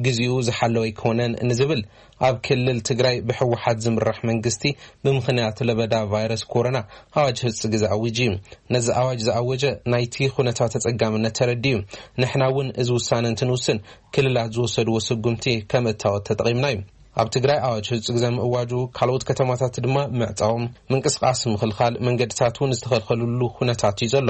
ግዜኡ ዝሓለወ ኣይኮነን ንዝብል ኣብ ክልል ትግራይ ብህወሓት ዝምራሕ መንግስቲ ብምኽንያት ለበዳ ቫይረስ ኮሮና ኣዋጅ ህጹ ግዘ ኣዊጁ እዩ። ነዚ ኣዋጅ ዝኣወጀ ናይቲ ኩነታት ተጸጋምነት ተረዲኡ እዩ። ንሕና እውን እዚ ውሳነ እንትንውስን ክልላት ዝወሰድዎ ስጉምቲ ከም እታወት ተጠቒምና እዩ። ኣብ ትግራይ ኣዋጅ ህጹ ግዘ ምእዋጁ፣ ካልኦት ከተማታት ድማ ምዕጻዎም፣ ምንቅስቃስ ምኽልኻል፣ መንገድታት እውን ዝተኸልከሉሉ ኩነታት እዩ ዘሎ።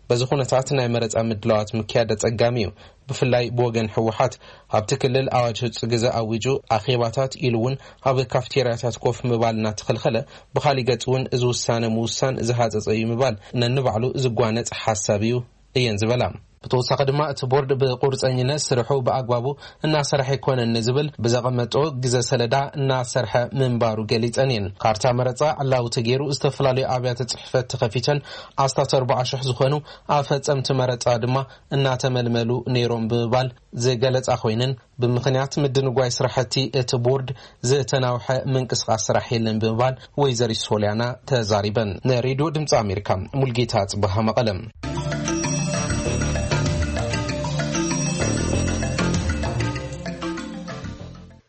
በዚ ኩነታት ናይ መረጻ ምድላዋት ምክያድ ኣጸጋሚ እዩ። ብፍላይ ብወገን ህወሓት ኣብቲ ክልል ኣዋጅ ህጹ ግዘ ኣዊጁ ኣኼባታት ኢሉ እውን ኣብ ካፍቴርያታት ኮፍ ምባል እናተኸልኸለ፣ ብኻሊእ ገጽ እውን እዚ ውሳነ ምውሳን ዝሃጸጸ እዩ ምባል ነንባዕሉ ዝጓነጽ ሓሳብ እዩ እየን ዝበላ። ብተወሳኺ ድማ እቲ ቦርድ ብቁርፀኝነት ስርሑ ብኣግባቡ እናሰርሐ ኣይኮነን ንዝብል ብዘቐመጦ ግዘ ሰለዳ እናሰርሐ ምንባሩ ገሊፀን እየን። ካርታ መረፃ ዕላዊ ተገይሩ ዝተፈላለዩ ኣብያተ ፅሕፈት ተኸፊተን ኣስታት ኣርባዓ ሽሕ ዝኾኑ ኣፈፀምቲ መረፃ ድማ እናተመልመሉ ነይሮም ብምባል ዝገለፃ ኮይነን፣ ብምኽንያት ምድንጓይ ስራሕቲ እቲ ቦርድ ዝተናውሐ ምንቅስቃስ ስራሕ የለን ብምባል ወይዘሪት ሶሊያና ተዛሪበን። ንሬድዮ ድምፂ ኣሜሪካ ሙልጌታ ጽበሃ መቐለም።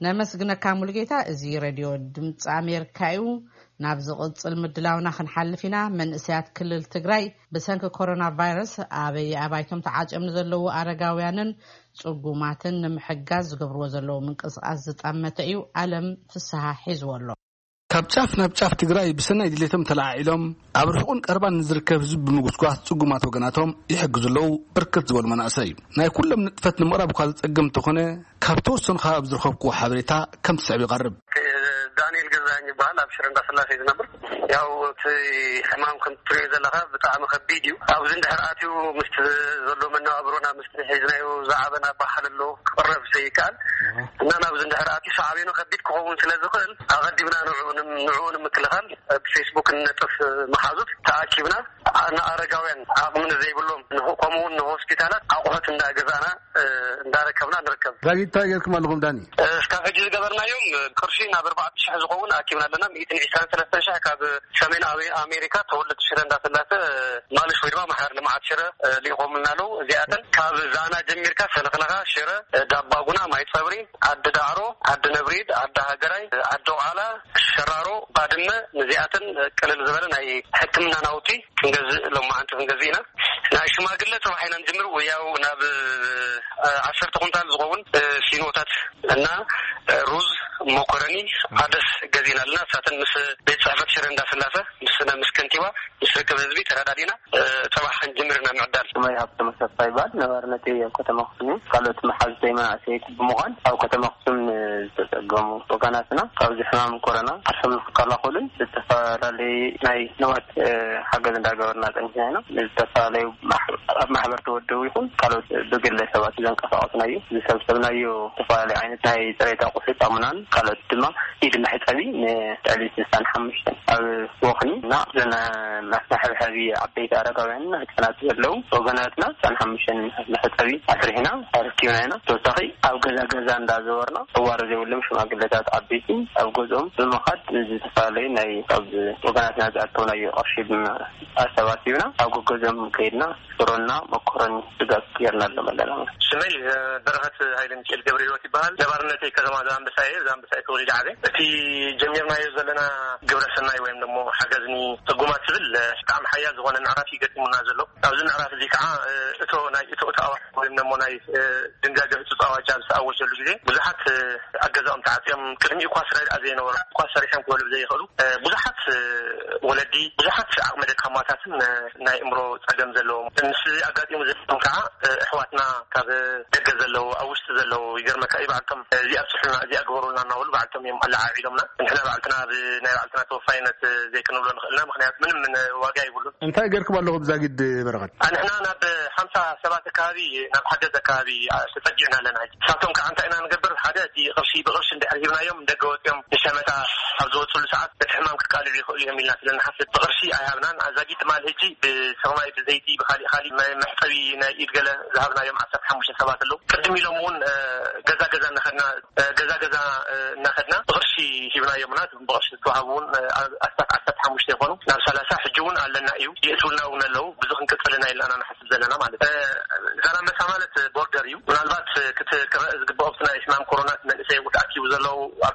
ነመስግነካ ሙልጌታ። እዚ ሬድዮ ድምፂ ኣሜሪካ እዩ። ናብ ዝቕጽል ምድላውና ክንሓልፍ ኢና። መንእሰያት ክልል ትግራይ ብሰንኪ ኮሮና ቫይረስ ኣበይ ኣባይቶም ተዓጽዮም ንዘለዉ ኣረጋውያንን ጽጉማትን ንምሕጋዝ ዝገብርዎ ዘለዉ ምንቅስቓስ ዝጠመተ እዩ። ኣለም ፍስሃ ሒዝዎ ኣሎ። ካብ ጫፍ ናብ ጫፍ ትግራይ ብሰናይ ድሌቶም ተለዓዒሎም ኣብ ርሑቕን ቀረባን ንዝርከብ ህዝቢ ብምጉስጓስ ጽጉማት ወገናቶም ይሕግዙ ኣለዉ። ብርክት ዝበሉ መናእሰይ ናይ ኩሎም ንጥፈት ንምቕራብ እኳ ዝጸገም እንተኾነ፣ ካብ ተወሰኑ ከባቢ ዝረኸብኩዎ ሓበሬታ ከም ትስዕብ ይቐርብ። ዳንኤል ገዛኸኝ ይበሃል። ኣብ ሽረ እንዳስላሴ ዝነብር። ያው እቲ ሕማም ከም ትሪኦ ዘለኻ ብጣዕሚ ከቢድ እዩ። ኣብዚ እንድሕር ኣትዩ ምስቲ ዘሎ መነባብሮና ምስቲ ሒዝናዮ ዝዓበና ባህል ኣሎ ክቕረብ ዘይከኣል እና ናብዚ እንድሕር ኣትዩ ሳዕቤኑ ከቢድ ክኸውን ስለ ዝኽእል ኣቐዲምና ንዕኡ ንም-፣ ንዕኡ ንምክልኻል ብፌስቡክ እንነጥፍ መሓዙት ተኣኪብና ንኣረጋውያን ዓቕሚ ንዘይብሎም ንሆ-፣ ከምኡ እውን ንሆስፒታላት ኣቑሑት እንዳገዛእና እንዳረከብና ንርከብ። ዳጊት እንታይ ጌርኩም ኣለኹም ዳኒ? እስካብ ሕጂ ዝገበርናዮም ቅርሺ ናብ ኣርባዕተ ሽሕ ዝኸውን ኣኪብና ኣለና። ሚእትን ዕስራን ሰለስተን ሽሕ ካብ ሰሜን ኣሜ-፣ ኣሜሪካ ተወለድቲ ሽረ እንዳስላሰ ማልሽ ወይ ድማ ማሕበር ልምዓት ሽረ ልኢኾምልና ኣለዉ። እዚኣተን ካብ ዛና ጀሚርካ ሰለኽለኻ፣ ሽረ፣ ዳባጉና፣ ማይ ጸብሪ፣ ዓዲ ዳዕሮ፣ ዓዲ ነብሪድ፣ ዓዲ ሃገራይ፣ ዓዲ ቋላ፣ ሸራሮ፣ ባድመ፣ ነዚኣተን ቀለል ዝበለ ናይ ሕክምና ናውቲ ክንገዝእ፣ ሎማዓንቲ ክንገዝእ ኢና። ናይ ሽማግለ ጽባሕ ኢና ንጅምር። ወያው ናብ፣ እ፣ ዓሰርተ ኩንታል ዝኸውን፣ እ፣ ፊኖታት እና፣ እ፣ ሩዝ፣ መኮረኒ፣ ዓደስ ገዚእና ኣለና። እሳተን ምስ ቤት ጽሕፈት ሽረ እንዳስላሰ፣ ምስ፣ ምስ ከንቲባ፣ ምስ ርክብ ህዝቢ ተረዳዲና፣ እ፣ ጽባሕ ክንጅምር ኢና ምዕዳል። ስመይ ሃብተ መሰፋ ይባል። ነባርነተይ ኣብ ከተማ ኣክሱም እዩ። ካልኦት መሓዙተይ መናእሰይ ብምዃን ኣብ ከተማ ኣክሱም ዝተጸገሙ ወገናትና ካብዚ ሕማም ኮሮና ዓርሶም ንክከላኸሉን ዝተፈላለዩ ናይ ንዋት፣ እ፣ ሓገዝ እንዳገበርና ጸኒሕና ኢና። ዝተፈላለዩ ማሕ-፣ ኣብ ማሕበር ተወደቡ ይኹን ካልኦት ብግለ ሰባት ዘንቀሳቐስናዮ ዝሰብሰብናዮ ዝተፈላለዩ ዓይነት ናይ ጽሬት ኣቑሑት፣ ሳሙናን ካልኦት ድማ ኢድ መሕጸቢ ንልዕሊ ስልሳን ሓሙሽተን ኣብ ወኽኒ እና ዘነ መሕብሐቢ ዓበይቲ ኣረጋውያንን ህጻናት ዘለዉ ወገናትና ስልሳን ሓሙሽተን መሕጸቢ ኣስሪሕና ኣረኪብና ኢና። ተወሳኺ ኣብ ገዛ ገዛ እንዳዘወርና እዋር ዘይብሎም ሽማግለታት ዓበይቲ ኣብ ገዝኦም ብምኻድ ዝተፈላለዩ ናይ ካብ ወገናትና ዝኣከብናዮ ቅርሺ ብመ-፣ ኣሰባሲብና ኣብ ገገዝኦም ከይድና ሽሮና መኮረኒ ስጋ ገይርናሎም ኣለና። ስመይ፣ እ፣ በረኸት ሃይለ ሚካኤል ገብረ ህይወት ይበሃል። ነባርነተይ ከተማ ዛላምበሳ እየ። ዛላምበሳ እየ ተወሊደ ዓብየ። እቲ ጀሚርናዮ ዘለና ግብረ ሰናይ ወይም ደሞ ሓገዝ ንጽጉማት ዝብል፣ እ፣ ብጣዕሚ ሓያል ዝኾነ ምዕራፍ እዩ ገጢሙና ዘሎ። ኣብዚ ምዕራፍ እዚ ከዓ፣ እ፣ እቶ ናይ እቶ እቶ ኣዋጅ ወይም ደሞ ናይ፣ እ፣ ድንጋገ ህጹጽ ኣዋጅ ኣብ ዝተኣወጀሉ ግዜ ብዙሓት፣ እ፣ ኣገዛኦም ተዓጽዮም ቅድሚኡ እኳ ስራሕ ዘይነበሮም እኳ ሰሪሖም ክበልዑ ዘይኽእሉ፣ እ፣ ብዙሓት፣ እ፣ ወለዲ፣ ብዙሓት ዓቕመ ደካማታትን፣ እ፣ ናይ እምሮ ጸገም ዘለዎም ምስ ኣጋጢሙ ዘለዎም ከዓ፣ እ፣ ኣሕዋትና ካብ ደገ ዘለዉ፣ ኣብ ውሽጢ ዘለዉ፣ ይገርመካ እዩ፣ ባዕልቶም፣ እ፣ እዚኣ ኣብጽሑልና፣ እዚኣ ግበሩልና እናበሉ ባዕልቶም እዮም ኣለዓዒሎምና። ንሕና ባዕልትና ብ-፣ ናይ ባዕልትና ተወፋይነት፣ እ፣ ዘይክንብሎ ንኽእልና፣ ምኽንያቱ ምንም ምን ዋጋ ይብሉን። እንታይ ገርኩም ኣለኹም ዛጊድ በረኸት? ኣንሕና ናብ ሓምሳ ሰባት ኣካባቢ፣ ናብ ሓገዝ ኣካባቢ፣ ኣ፣ ተጸጊዕና ኣለና። ሕጂ ንሳቶም ከዓ እንታይ ኢና ንገብር? ሓደ፣ እቲ ቅርሺ ብቅርሺ እንድሕር ሂብናዮም፣ ደገ ወጺኦም ንሸመታ ኣብ ዝወጽሉ ሰዓት፣ እቲ ሕማም ክቃልዑ ይኽእሉ እዮም ኢልና ስለ ንሓስብ፣ ብቅርሺ ኣይሃብናን። ኣዛጊድ ትማል ሕጂ ብሰማይ፣ ብዘይቲ፣ ብካሊእ፣ ካሊእ መ-፣ መሕጸቢ ናይ ኢድ ገለ ዝሃብናዮም ዓሰርተ ሓሙሽተ ሰባት ኣለዉ። ቅድም ኢሎም እውን፣ እ፣ ገዛ ገዛ እናኸድና፣ እ፣ ገዛ ገዛ፣ እ፣ እናኸድና ብቅርሺ ሂብናዮምና። ብቕርሺ ዝተዋህቡ እውን፣ እ፣ ኣስታት ዓሰርተ ሓሙሽተ ይኾኑ፣ ናብ ሰላሳ ሕጂ እውን ኣለና እዩ። የእትውልና እውን ኣለዉ። ብዙ ክንቅጽልና ኢልና ንሓስብ ዘለና ማለት እዩ። እ፣ ዛላምበሳ ማለት ቦርደር እዩ። ምናልባት ክት-፣ ክረአ ዝግብኦ ኣብቲ ናይ ሕማም ኮሮና መንእሰይ ተኣኪቡ ዘለዉ ኣብ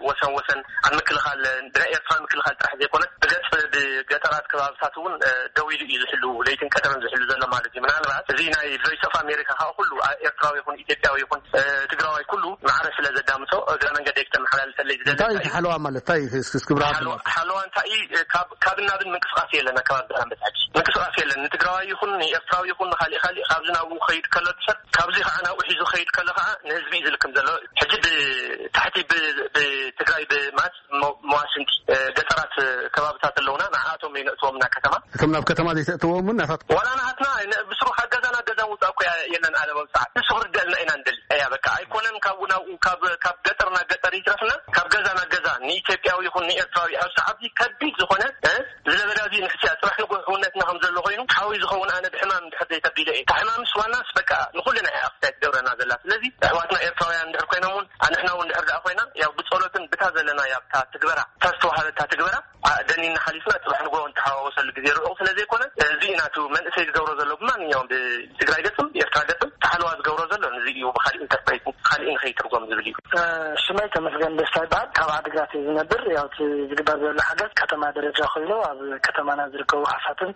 ወሰን ወሰን ኣብ ምክልኻል፣ ብናይ ኤርትራ ምክልኻል ጥራሕ ዘይኮነስ ብገጽ ብገጠራት ከባብታት እውን፣ እ፣ ደው ኢሉ እዩ ዝሕሉ፣ ለይትን ቀደምን ዝሕሉ ዘሎ ማለት እዩ። ምናልባት እዚ ናይ ቮይስ ኦፍ ኣሜሪካ ከዓ ኩሉ፣ ኣ፣ ኤርትራዊ ይኹን ኢትዮጵያዊ ይኹን፣ እ፣ ትግራዋይ ኩሉ ማዕረ ስለ ዘዳምጾ እግረ መንገደይ ክተመሓላልፈለይ ዝደሊ እንታይ እዩ። ሓለዋ ማለት እንታይ እዩ? እስኪ፣ እስኪ ብርሃን ሓለዋ፣ ሓለዋ እንታይ እዩ? ካብ፣ ካብ ናብን ምንቅስቃስ የለን። ኣካባቢ ዛላምበሳ ሕጂ ምንቅስቃስ የለን። ንትግራዋይ ይኹን ንኤርትራዊ ይኹን ንካሊእ ካሊእ ካብዚ ናብኡ ክኸይድ ከሎ እቲ ሰብ፣ ካብዚ ከዓ ናብኡ ሒዙ ክኸይድ ከሎ ከዓ ንህዝቢ እዩ ዝልክም ዘሎ። ሕጂ ብታሕቲ ብ-፣ ብትግራይ ብማስ መ-፣ መዋስንቲ፣ እ፣ ገጠራት፣ እ፣ ከባብታት ኣለውና። ንዓኣቶም እዩ ነእትዎም ናብ ከተማ። እቶም ናብ ከተማ ዘይተእትዎም እውን ናታት ዋላ ናሃትና ነ-፣ ብስሩ ካብ ገዛ ናብ ገዛ ውፃእ እኮ ያ-፣ የለን። ኣለ በብሰዓት ንሱ ክርደልና ኢና ንደሊ። እያ በቃ ኣይኮነን ካብኡ ናብኡ፣ ካብ፣ ካብ ገጠር ናብ ገጠር ይትረፍና፣ ካብ ገዛ ናብ ገዛ ንኢትዮጵያዊ ይኹን ንኤርትራዊ ኣብ ሰዓት ከቢድ ዝኾነ፣ እ፣ ዝለበዳ እዚ ንሕስያ ጽባሕ ንግሆ ሕውነትና ከም ዘሎ ኮይኑ ሓዊ ዝኸውን ኣነ ብሕማም እንድሕር ዘይተቢለ እየ። ካብ ሕማምስ ዋናስ በቃ ንኹልና እያ ኣኽስታይ ትገብረና ዘላ። ስለዚ ኣሕዋትና ኤርትራውያን እንድሕር ኮይኖም እውን ኣንሕና እውን እንድሕር ደኣ ኮይና ያው ብጸሎትን ብታ ዘለና ያብታ ትግበራ፣ እታ ዝተዋሃበታ ትግበራ፣ ኣ፣ ደኒና ሓሊፍና ጽባሕ ንግሆ እንተሓዋወሰሉ ግዜ ርሑቕ ስለ ዘይኮነ፣ እዚ እዩ ናቱ መንእሰይ ዝገብሮ ዘሎ ብማንኛውም ብትግራይ ገጽም ብኤርትራ ገጽም ተሓለዋ ዝገብሮ ዘሎ ንዚ እዩ። ብኻሊእ ኢንተርፕሬት ካሊእ ንኸይትርጎም ዝብል እዩ። እ፣ ሽመይ ተመስገን ደስታ ይበሃል። ካብ ዓዲግራት እዩ ዝነብር። ያው እቲ ዝግበር ዘሎ ሓገዝ ከተማ ደረጃ ኮይኑ ኣብ ከተማና ዝርከቡ ሓፋትም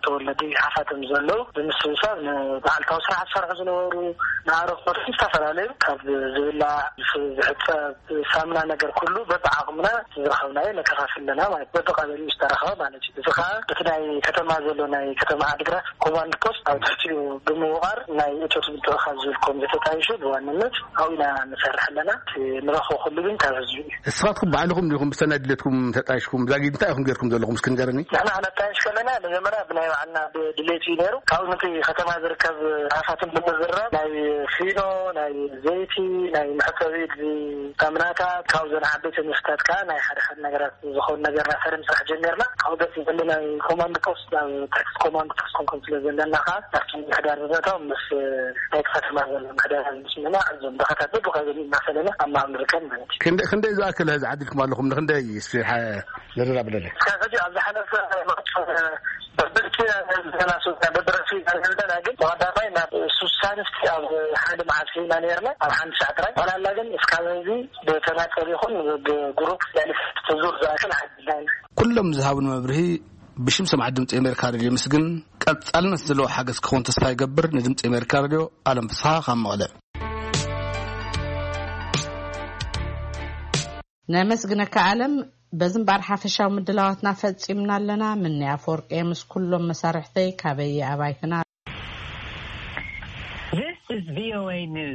ተወለዲ ሓፋትም ዘለዉ ብምስብሳብ ንመዓልታዊ ስራሕ ዝሰርሑ ዝነበሩ ንኣረኮት ዝተፈላለዩ ካብ ዝብላዕ፣ ዝሕጸብ፣ ሳምና ነገር ኩሉ በብዓቕምና ዝረኸብናዮ ነከፋፍል ኣለና ማለት በብቀበሊኡ ዝተረኸበ ማለት እዩ። እዚ ከዓ እቲ ናይ ከተማ ዘሎ ናይ ከተማ ዓዲግራት ኮማንድ ፖስት ኣብ ትሕቲኡ ብምውቓር ናይ እቶት ምትእኻብ ዝብል ኮሚቴ ተጣይሹ ብዋንነት ኣብኡ ኢና ንሰርሕ ኣለና። እቲ ንረኽቦ ኩሉ ግን ካብ ህዝቢ እዩ። ንስኻትኩም ባዕልኹም ዲኹም ብሰናይ ድሌትኩም ተጣይሽኩም? ዛጊድ እንታይ ኢኹም ጌርኩም ዘለኹም እስኪ ንገረኒ። ንሕና ክነጣይሽ ከለና መጀመርያ ብናይ ባዕልና ድሌት እዩ ነይሩ። ካብኡ ነቲ ከተማ ዝርከብ ሃፋትም ብምዝራብ ናይ ፊኖ፣ ናይ ዘይቲ፣ ናይ መሕጸቢ ሳምናታት፣ ካብዞን ዓበይቲ ንስታት ከዓ ናይ ሓደ ሓደ ነገራት ዝኾኑ ነገርና ፈርም ስራሕ ጀሚርና። ካብኡ ደስ ዝብል ናይ ኮማንድ ፖስት ናብ ታክስ ኮማንድ ፖስት ክንከም ስለ ዘለና ከዓ ናብቲ ምሕዳር ብምእታው ምስ ናይቲ ከተማ ዘሎ ምሕዳር ምስምና እዞም ድኻታት በብኸ እናፈለና ኣብ ምሃብ ንርከብ ማለት እዩ። ክንደይ፣ ክንደይ ዝኣክል ህዝቢ ዓዲልኩም ኣለኹም? ንክንደይ እስኪ ሓ-፣ ዝርራብ ኣለለ? እስካብ ሕጂ ኣብ ዝሓለፈ መዓልቲ በብልቲ ገና ሱሳ በብረሲ ዘለና ግን ተወዳዳሪ ናብ ሱሳ ንፍቲ ኣብ ሓደ መዓልቲ ኢና ነርና ኣብ ሓንቲ ሰዓት ጥራይ ዋላላ ግን እስካብ እዚ ብተናጠል ይኹን ብግሩፕ ያልፍ ተዙር ዝኣክል ሓድና ኢና። ኩሎም ዝሃቡን መብርሂ ብሽም ሰማዕቲ ድምፂ ኣሜሪካ ሬድዮ ምስግን። ቀፃልነት ዘለዎ ሓገዝ ክኸውን ተስፋ ይገብር። ንድምፂ ኣሜሪካ ሬድዮ ኣለም ፍስሓ ካብ መቐለ። ነመስግነካ ኣለም። በዚ እምበኣር ሓፈሻዊ ምድላዋትና ፈፂምና ኣለና። ምንያ ኣፈወርቂ ምስ ኩሎም መሳርሕተይ ካበየ ኣባይትና። This is V O A News.